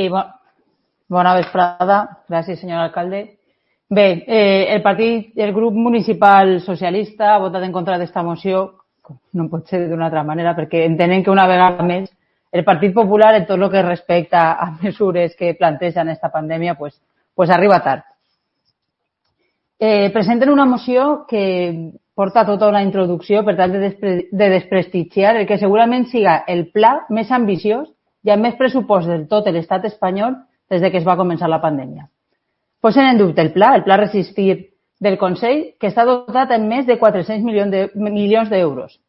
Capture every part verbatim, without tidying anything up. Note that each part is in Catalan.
Sí, bo, bona vesprada. Gràcies, senyor alcalde. Bé, eh, el partit, el grup municipal socialista ha votat en contra d'esta moció, no pot ser d'una altra manera, perquè entenem que una vegada més el Partit Popular, en tot el que respecta a mesures que plantegen esta pandèmia, pues, pues arriba tard. Eh, presenten una moció que porta tota una introducció per tal de, despre de desprestigiar el que segurament siga el pla més ambiciós i amb més pressupost de tot l'estat espanyol des de que es va començar la pandèmia. Posen en dubte el pla, el pla Resistir del Consell, que està dotat en més de quatre-cents milions d'euros.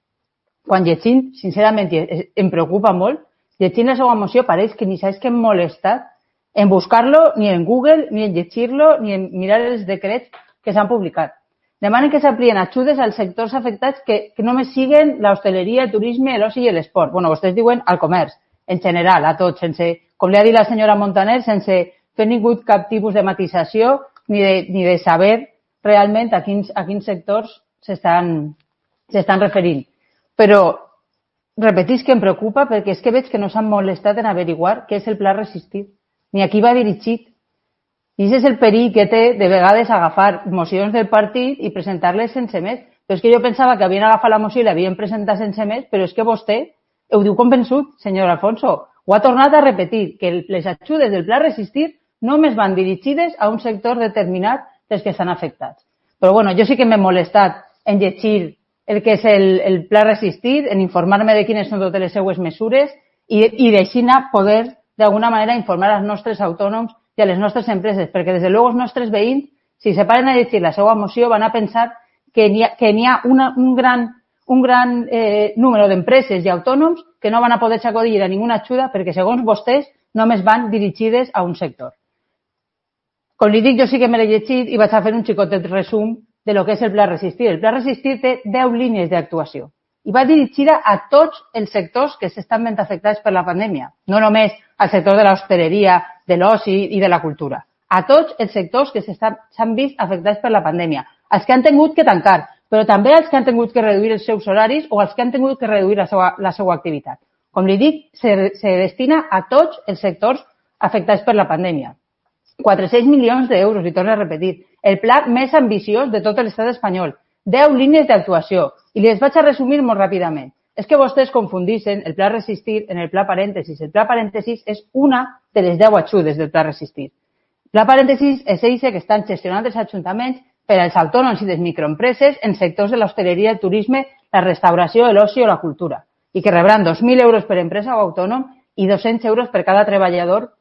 Quan llegint, sincerament, em preocupa molt, llegint la seva moció pareix que ni saps que hem molestat en buscar-lo, ni en Google, ni en llegir-lo, ni en mirar els decrets que s'han publicat. Demanen que s'amplien ajudes als sectors afectats que, que només siguen l'hostaleria, el turisme, l'oci i l'esport. Bueno, vostès diuen al comerç, en general, a tots, sense, com li ha dit la senyora Montaner, sense fer ningú cap tipus de matisació ni de, ni de saber realment a quins, a quins sectors s'estan s'estan referint. Però repetís que em preocupa perquè és que veig que no s'han molestat en averiguar què és el pla Resistir, ni a qui va dirigit. I aquest és el perill que té de vegades agafar mocions del partit i presentar-les sense més. Però és que jo pensava que havien agafat la moció i l'havien presentat sense més, però és que vostè ho diu convençut, senyor Alfonso. Ho ha tornat a repetir, que les ajudes del pla Resistir només van dirigides a un sector determinat dels que estan afectats. Però bueno, jo sí que m'he molestat en llegir el que és el, el pla Resistir, en informar-me de quines són totes les seues mesures i, i d'així poder, d'alguna manera, informar als nostres autònoms i a les nostres empreses, perquè des de luego els nostres veïns, si se paren a llegir la seva moció, van a pensar que n'hi ha, que n'hi ha una, un gran, un gran eh, número d'empreses i autònoms que no van a poder acollir a ninguna ajuda perquè, segons vostès, només van dirigides a un sector. Com li dic, jo sí que me l'he llegit i vaig a fer un xicotet resum de lo que és el pla Resistir. El pla Resistir té deu línies d'actuació i va dirigida a tots els sectors que s'estan ben afectats per la pandèmia, no només al sector de l'hostaleria, de l'oci i de la cultura, a tots els sectors que s'han vist afectats per la pandèmia, els que han tingut que tancar, però també els que han tingut que reduir els seus horaris o els que han tingut que reduir la seva, la seva activitat. Com li dic, se, se destina a tots els sectors afectats per la pandèmia. quatre-cents milions d'euros, li torno a repetir, el pla més ambiciós de tot l'estat espanyol, deu línies d'actuació, i les vaig a resumir molt ràpidament. És que vostès confundixen el pla Resistir en el pla Parèntesis. El pla Parèntesis és una de les deu ajudes del pla Resistir. El pla Parèntesis és eixe que estan gestionant els ajuntaments per als autònoms i les microempreses en sectors de l'hostaleria, el turisme, la restauració, l'oci o la cultura, i que rebran dos mil euros per empresa o autònom i dos-cents euros per cada treballador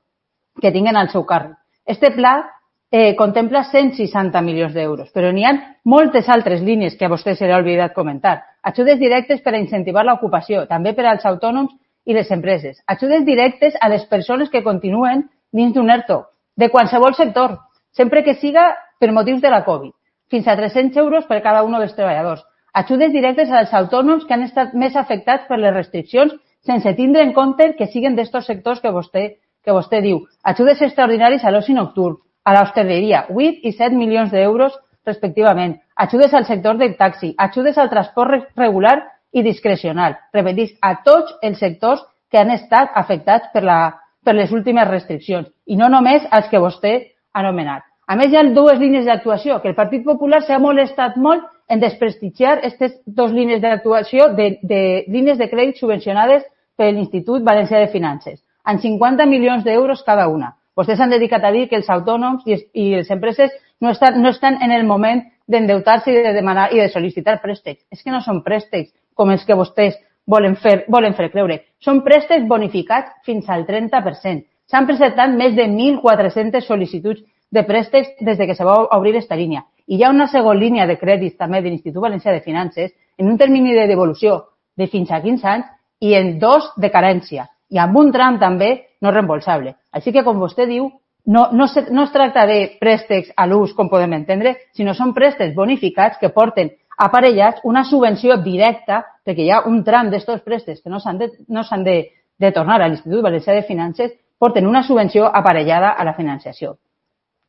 que tinguen al seu càrrec. Este pla eh, contempla cent seixanta milions d'euros, però n'hi ha moltes altres línies que a vostè se li ha oblidat comentar. Ajudes directes per a incentivar l'ocupació, també per als autònoms i les empreses. Ajudes directes a les persones que continuen dins d'un ERTO, de qualsevol sector, sempre que siga per motius de la Covid, fins a tres-cents euros per cada un dels treballadors. Ajudes directes als autònoms que han estat més afectats per les restriccions sense tindre en compte que siguen d'estos sectors que vostè, que vostè diu. Ajudes extraordinaris a l'oci nocturn, a l'hostaleria, vuit i set milions d'euros respectivament. Ajudes al sector del taxi, ajudes al transport regular i discrecional. Repetís, a tots els sectors que han estat afectats per, la, per les últimes restriccions i no només als que vostè ha anomenat. A més, hi ha dues línies d'actuació, que el Partit Popular s'ha molestat molt en desprestigiar aquestes dues línies d'actuació de, de línies de crèdit subvencionades per l'Institut Valencià de Finances, amb cinquanta milions d'euros cada una. Vostès s'han dedicat a dir que els autònoms i, i les empreses no estan, no estan en el moment d'endeutar-se i de demanar i de sol·licitar préstecs. És que no són préstecs com els que vostès volen fer, volen fer creure. Són préstecs bonificats fins al trenta per cent. S'han presentat més de mil quatre-centes sol·licituds de préstecs des de que se va obrir aquesta línia. I hi ha una segona línia de crèdits també de l'Institut Valencià de Finances en un termini de devolució de fins a quinze anys i en dos de carència i amb un tram també no reembolsable. Així que, com vostè diu, no, no, se, no es tracta de préstecs a l'ús, com podem entendre, sinó són préstecs bonificats que porten aparellats una subvenció directa, perquè hi ha un tram d'estos préstecs que no s'han de, no s'han de, de tornar a l'Institut Valencià de Finances, porten una subvenció aparellada a la financiació.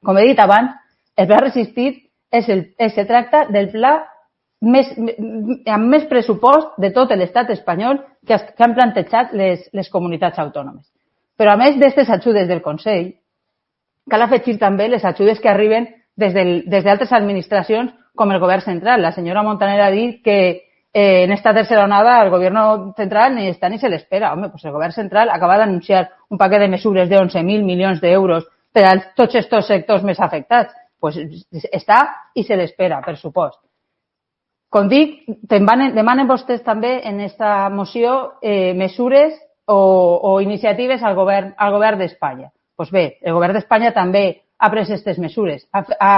Com he dit abans, el pla Resistir és el, és, se tracta del pla més, amb més pressupost de tot l'estat espanyol que, que han plantejat les, les comunitats autònomes. Però a més d'aquestes ajudes del Consell, cal afegir també les ajudes que arriben des d'altres administracions com el govern central. La senyora Montaner ha dit que eh, en esta tercera onada el govern central ni està ni se l'espera. Home, pues el govern central acaba d'anunciar un paquet de mesures de onze mil milions d'euros per a tots aquests sectors més afectats. Pues està i se l'espera, per supost. Com dic, demanen vostès també en aquesta moció eh, mesures o, o iniciatives al govern, al govern d'Espanya. Pues bé, el govern d'Espanya també ha pres aquestes mesures. Ha, ha,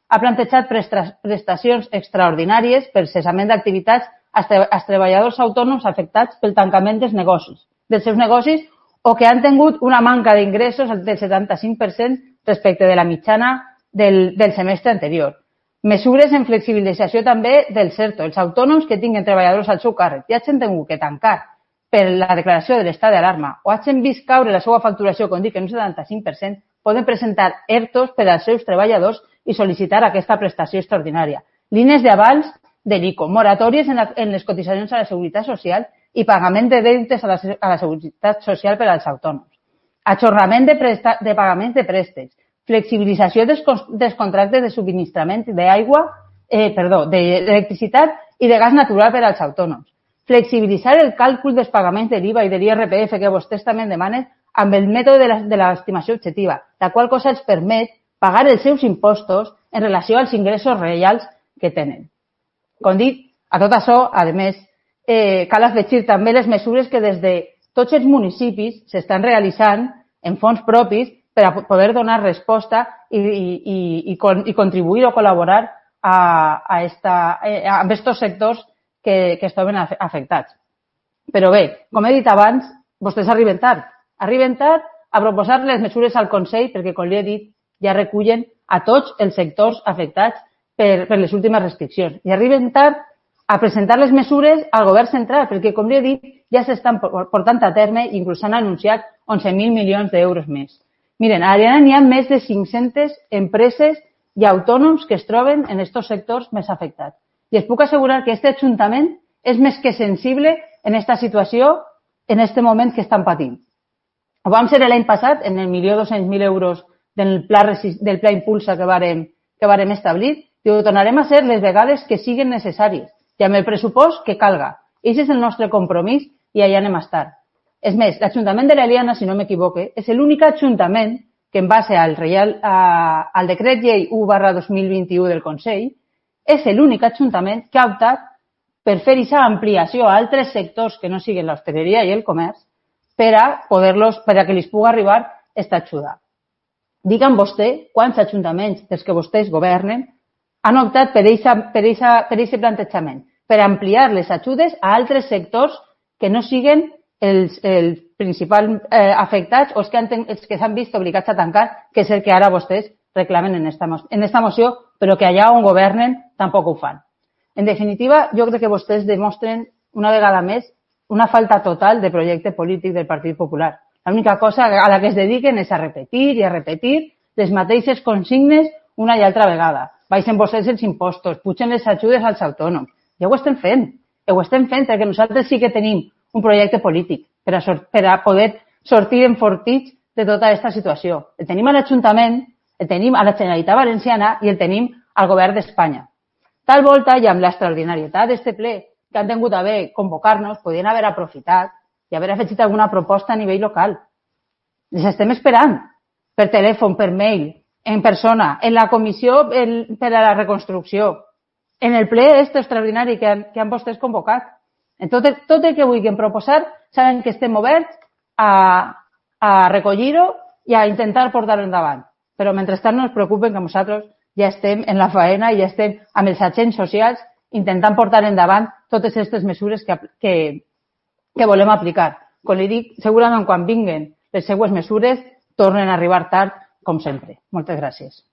ha plantejat prestacions extraordinàries per cessament d'activitats als treballadors autònoms afectats pel tancament dels negocis, dels seus negocis o que han tingut una manca d'ingressos del setanta-cinc per cent respecte de la mitjana del, del semestre anterior. Mesures en flexibilització també del CERTO. Els autònoms que tinguin treballadors al seu càrrec i hagin tingut que tancar per la declaració de l'estat d'alarma o hagin vist caure la seva facturació, com dic, en un setanta-cinc per cent, poden presentar ERTOs per als seus treballadors i sol·licitar aquesta prestació extraordinària. Línies d'avals de l'I C O, moratòries en, la, en les cotitzacions a la Seguretat Social i pagament de deutes a la, a la Seguretat Social per als autònoms. Ajornament de, presta, de pagaments de préstecs, flexibilització dels, dels contractes de subministrament d'aigua, eh, perdó, d'electricitat i de gas natural per als autònoms. Flexibilitzar el càlcul dels pagaments de l'I V A i de l'I R P F que vostès també demanen amb el mètode de l'estimació objectiva, la qual cosa els permet pagar els seus impostos en relació als ingressos reals que tenen. Com dic, a tot això, a més, eh, cal afegir també les mesures que des de tots els municipis s'estan realitzant en fons propis per a poder donar resposta i, i, i, i contribuir o col·laborar a, a, esta, a aquests sectors que, que es troben afectats. Però bé, com he dit abans, vostès arriben tard. Arriben tard a proposar les mesures al Consell perquè, com li he dit, ja recullen a tots els sectors afectats per, per les últimes restriccions. I arriben tard a presentar les mesures al govern central perquè, com li he dit, ja s'estan portant a terme i inclús s'han anunciat onze mil milions d'euros més. Miren, a Ariana n'hi ha més de cinc-centes empreses i autònoms que es troben en aquests sectors més afectats. I es puc assegurar que aquest Ajuntament és més que sensible en aquesta situació, en aquest moment que estan patint. Ho vam ser l'any passat, en el milió dos-cents mil euros del pla, del pla Impulsa que vàrem, que vàrem establir, i ho tornarem a ser les vegades que siguin necessàries i amb el pressupost que calga. I aquest és el nostre compromís i allà anem a estar. És més, l'Ajuntament de l'Eliana, si no m'equivoque, és l'únic ajuntament que en base al, reial, a, al decret llei u barra dos mil vint-i-u del Consell, és l'únic ajuntament que ha optat per fer aquesta ampliació a altres sectors que no siguin l'hostaleria i el comerç per a poder-los, per a que els pugui arribar aquesta ajuda. Digue'm vostè quants ajuntaments dels que vostès governen han optat per aquest plantejament, per ampliar les ajudes a altres sectors que no siguin els, els principals eh, afectats o els que, han, els que s'han vist obligats a tancar, que és el que ara vostès reclamen en esta, en esta moció, però que allà on governen tampoc ho fan. En definitiva, jo crec que vostès demostren una vegada més una falta total de projecte polític del Partit Popular. L'única cosa a la que es dediquen és a repetir i a repetir les mateixes consignes una i altra vegada. Baixen vostès els impostos, pugen les ajudes als autònoms. Ja ho estem fent. Ho estem fent perquè nosaltres sí que tenim un projecte polític per a, per a poder sortir enfortits de tota aquesta situació. El tenim a l'Ajuntament, el tenim a la Generalitat Valenciana i el tenim al Govern d'Espanya. Tal volta i amb l'extraordinarietat d'aquest ple que han tingut a bé convocar-nos, podien haver aprofitat i haver afegit alguna proposta a nivell local. Les estem esperant per telèfon, per mail, en persona, en la comissió per a la reconstrucció, en el ple este extraordinari que han, que han vostès convocat. En tot, el, tot el que vulguin proposar, saben que estem oberts a, a recollir-ho i a intentar portar-ho endavant. Però mentrestant no es preocupen que nosaltres ja estem en la faena i ja estem amb els agents socials intentant portar endavant totes aquestes mesures que, que, que volem aplicar. Com li dic, segurament quan vinguen les seues mesures tornen a arribar tard, com sempre. Moltes gràcies.